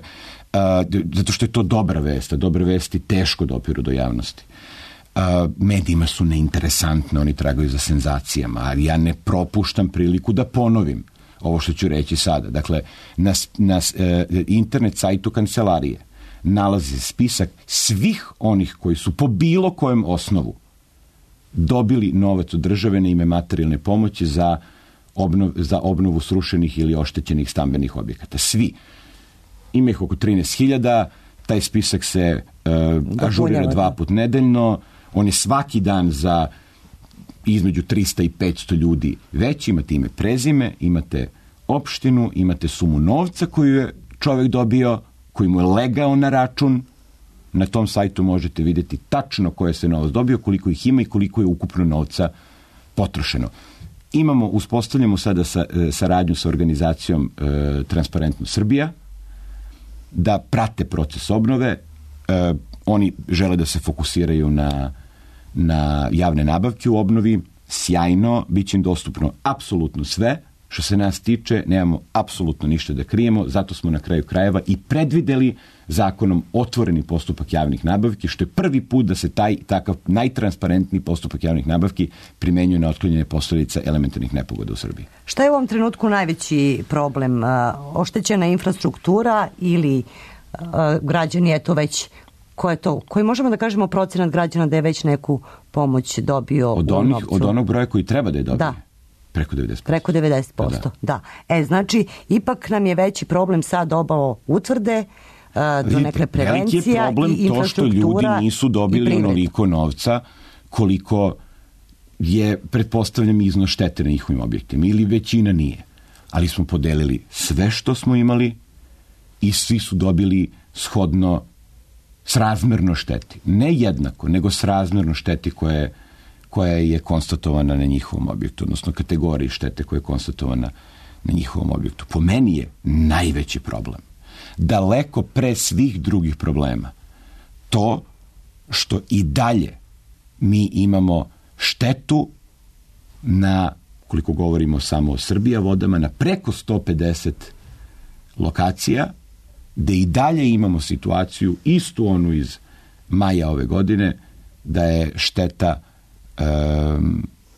zato što je to dobra vest, a dobre vesti teško dopiru do javnosti. Medijima su neinteresantne, oni tragaju za senzacijama, ali ja ne propuštam priliku da ponovim. ovo što ću reći sada. Dakle, na internet sajtu kancelarije nalazi spisak svih onih koji su po bilo kojem osnovu dobili novac od države na ime materijalne pomoći za obnovu srušenih ili oštećenih stambenih objekata. Svi. Ima ih oko 13.000, taj spisak se ažurira 2 puta nedeljno, on je svaki dan za između 300 i 500 ljudi veći, imate ime, prezime, imate opštinu, imate sumu novca koju je čovjek dobio, koji mu je legao na račun. Na tom sajtu možete vidjeti tačno koje se novac dobio, koliko ih ima i koliko je ukupno novca potrošeno. Uspostavljamo sada saradnju sa organizacijom Transparentno Srbija, da prate proces obnove. Oni žele da se fokusiraju na javne nabavke u obnovi. Sjajno, bit će im dostupno apsolutno sve. Što se nas tiče, nemamo apsolutno ništa da krijemo, zato smo na kraju krajeva i predvideli zakonom otvoreni postupak javnih nabavki, što je prvi put da se takav najtransparentniji postupak javnih nabavki primenjuje na otklanjanje posljedica elementarnih nepogoda u Srbiji. Šta je u ovom trenutku najveći problem? Oštećena infrastruktura ili građani, eto već, koji možemo da kažemo procenat građana da je već neku pomoć dobio u novcu? Od onog broja koji treba da je dobio? Da. Preko 90%. Preko 90%, da. Znači, ipak nam je veći problem sad obalo utvrde, do neke prevencija i infrastruktura. Veliki je problem to što ljudi nisu dobili onoliko novca koliko je, pretpostavljam, iznos štete na njihovim objektima. Ili većina nije. Ali smo podelili sve što smo imali i svi su dobili shodno srazmerno šteti. Ne jednako, nego srazmerno šteti koja je konstatovana na njihovom objektu, odnosno kategoriji štete koja je konstatovana na njihovom objektu. Po meni je najveći problem, daleko pre svih drugih problema, to što i dalje mi imamo štetu na, koliko govorimo samo o Srbija vodama, na preko 150 lokacija, gde i dalje imamo situaciju, istu onu iz maja ove godine, da je šteta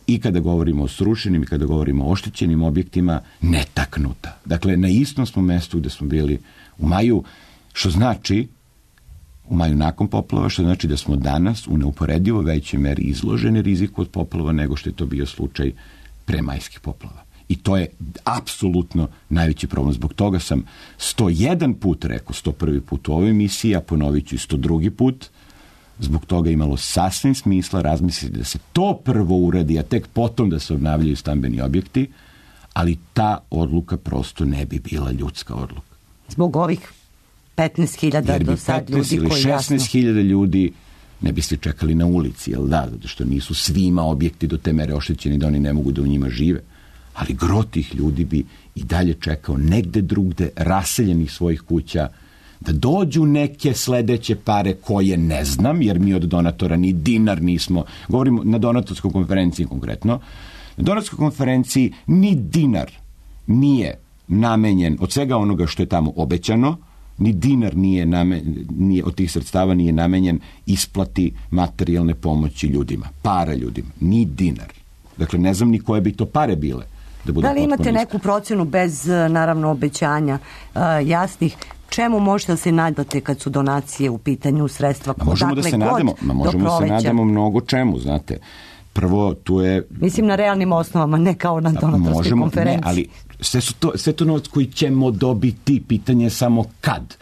i kada govorimo o srušenim i kada govorimo o oštećenim objektima netaknuta. Dakle, na istom smo mestu gde smo bili u maju, što znači u maju nakon poplava, što znači da smo danas u neuporedivo većoj meri izloženi riziku od poplava nego što je to bio slučaj pre majskih poplava. I to je apsolutno najveći problem. Zbog toga sam 101 put rekao, 101 put u ovoj emisiji, a ponovit ću i 102 put. Zbog toga imalo sasvim smisla razmisliti da se to prvo uradi, a tek potom da se obnavljaju stambeni objekti, ali ta odluka prosto ne bi bila ljudska odluka. Zbog ovih 15.000 do sad ljudi koji jasno... 16.000 ljudi ne biste čekali na ulici, jel da? Zato što nisu svima objekti do te mere oštećeni da oni ne mogu da u njima žive. Ali gro tih ljudi bi i dalje čekao negde drugde, raseljenih svojih kuća, da dođu neke sledeće pare koje ne znam, jer mi od donatora ni dinar nismo, govorimo na donatorskoj konferenciji konkretno, na donatorskoj konferenciji ni dinar nije namenjen od svega onoga što je tamo obećano, ni dinar nije od tih sredstava nije namenjen isplati materijalne pomoći ljudima, para ljudima, ni dinar. Dakle, ne znam ni koje bi to pare bile. Da li imate neku procenu bez, naravno, obećanja jasnih, čemu možete da se nadate kad su donacije u pitanju sredstva? Možemo da se nadamo mnogo čemu, znate. Prvo, tu je... Mislim na realnim osnovama, ne kao na donatorskoj konferenciji. Ne, ali sve to novac koji ćemo dobiti, pitanje je samo kad.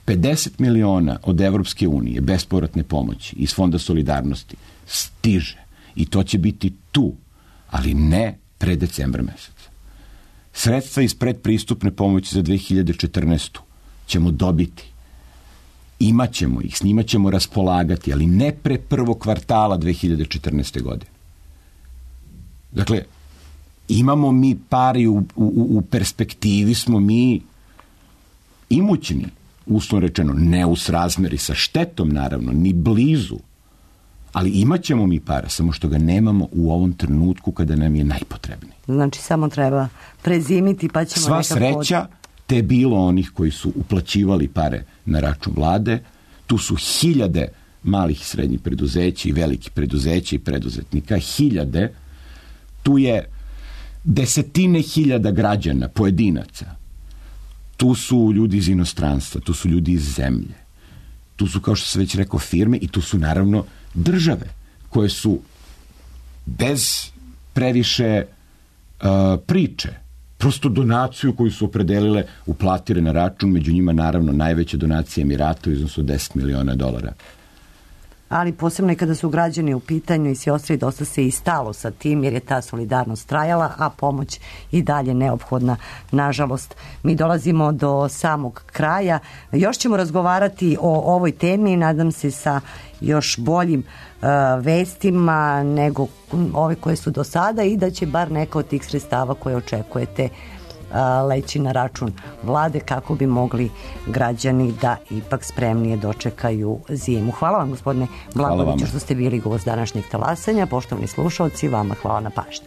50 miliona od Evropske unije bespovratne pomoći iz Fonda solidarnosti stiže i to će biti tu, ali ne pre decembra meseca. Sredstva iz predpristupne pomoći za 2014. ćemo dobiti. Imaćemo ih, s njima ćemo raspolagati, ali ne pre prvog kvartala 2014. godine. Dakle, imamo mi pari u perspektivi, smo mi imućni, uslovno rečeno, ne u srazmeri sa štetom, naravno, ni blizu, ali imat ćemo mi para, samo što ga nemamo u ovom trenutku kada nam je najpotrebniji. Znači, samo treba prezimiti pa ćemo sva sreća te je bilo onih koji su uplaćivali pare na račun vlade. Tu su hiljade malih i srednjih preduzeća i velikih preduzeća i preduzetnika, hiljade. Tu je desetine hiljada građana, pojedinaca. Tu su ljudi iz inostranstva, tu su ljudi iz zemlje. Tu su, kao što sam već rekao, firme i tu su naravno države koje su bez previše priče, prosto donaciju koju su opredelile uplatile na račun, među njima naravno najveća donacija Emirata u iznosu od $10 miliona. Ali posebno i kada su građani u pitanju i svi ostali, dosta se i stalo sa tim jer je ta solidarnost trajala, a pomoć i dalje neophodna. Nažalost, mi dolazimo do samog kraja. Još ćemo razgovarati o ovoj temi, nadam se sa još boljim vestima nego ove koje su do sada i da će bar neka od tih sredstava koje očekujete leći na račun vlade kako bi mogli građani da ipak spremnije dočekaju zimu. Hvala vam, gospodine Blagoviću, što ste bili gost današnjeg talasanja. Poštovani slušalci, vama hvala na pažnji.